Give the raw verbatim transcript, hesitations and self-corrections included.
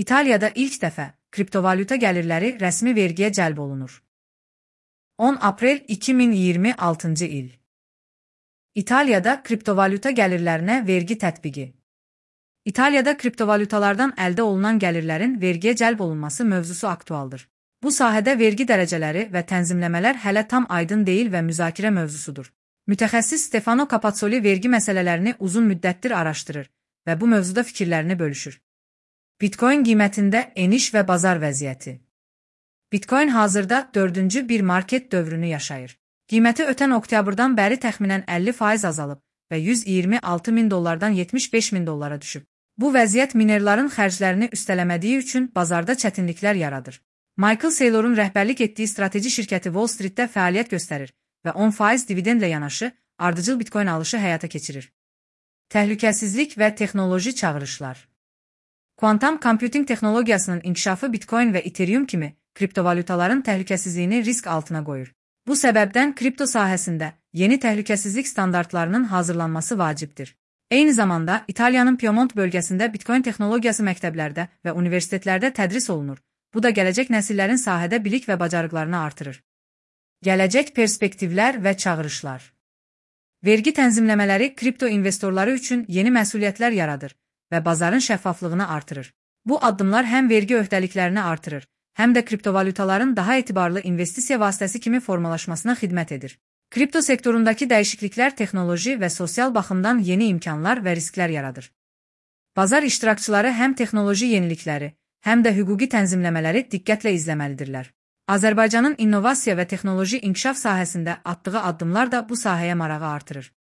İtaliyada ilk dəfə kriptovalyuta gəlirləri rəsmi vergiyə cəlb olunur. on aprel iki min iyirmi altıncı il. İtaliyada kriptovalyuta gəlirlərinə vergi tətbiqi. İtaliyada kriptovalyutalardan əldə olunan gəlirlərin vergiyə cəlb olunması mövzusu aktualdır. Bu sahədə vergi dərəcələri və tənzimləmələr hələ tam aydın deyil və müzakirə mövzusudur. Mütəxəssis Stefano Capazzoli vergi məsələlərini uzun müddətdir araşdırır və bu mövzuda fikirlərini bölüşür. Bitcoin qiymətində eniş və bazar vəziyyəti. Bitcoin hazırda dördüncü bir market dövrünü yaşayır. Qiyməti ötən oktyabrdan bəri təxminən əlli faiz azalıb və yüz iyirmi altı min dollardan yetmiş beş min dollara düşüb. Bu vəziyyət minerların xərclərini üstələmədiyi üçün bazarda çətinliklər yaradır. Michael Saylor'un rəhbərlik etdiyi strateji şirkəti Wall Streetdə fəaliyyət göstərir və on faiz dividendlə yanaşı ardıcıl Bitcoin alışı həyata keçirir. Təhlükəsizlik və texnoloji çağırışlar. Quantum computing texnologiyasının inkişafı Bitcoin və Ethereum kimi kriptovalyutaların təhlükəsizliyini risk altına qoyur. Bu səbəbdən kripto sahəsində yeni təhlükəsizlik standartlarının hazırlanması vacibdir. Eyni zamanda İtaliyanın Piemont bölgəsində Bitcoin texnologiyası məktəblərdə və universitetlərdə tədris olunur. Bu da gələcək nəsillərin sahədə bilik və bacarıqlarını artırır. Gələcək perspektivlər və çağırışlar. Vergi tənzimləmələri kripto investorları üçün yeni məsuliyyətlər yaradır və bazarın şəffaflığını artırır. Bu addımlar həm vergi öhdəliklərini artırır, həm də kriptovalyutaların daha etibarlı investisiya vasitəsi kimi formalaşmasına xidmət edir. Kripto sektorundakı dəyişikliklər texnoloji və sosial baxımdan yeni imkanlar və risklər yaradır. Bazar iştirakçıları həm texnoloji yenilikləri, həm də hüquqi tənzimləmələri diqqətlə izləməlidirlər. Azərbaycanın innovasiya və texnoloji inkişaf sahəsində atdığı addımlar da bu sahəyə marağı artırır.